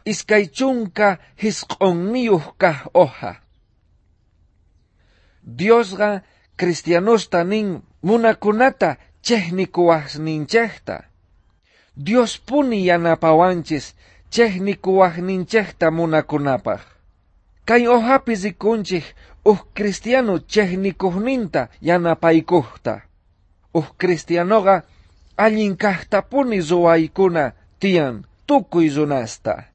29 kaj hoja. Diosqa cristianosta nin munakunata chejnikuwajninchejta. Diospuni yanapawanchis chejnikuwajninchejta munakunapaj. Kay hojapi rikunchej uj cristiano chejnikujninta yanapaykujta. Uj cristianoqa allin kajtapuni ruwaykuna tiyan tukuy runasta.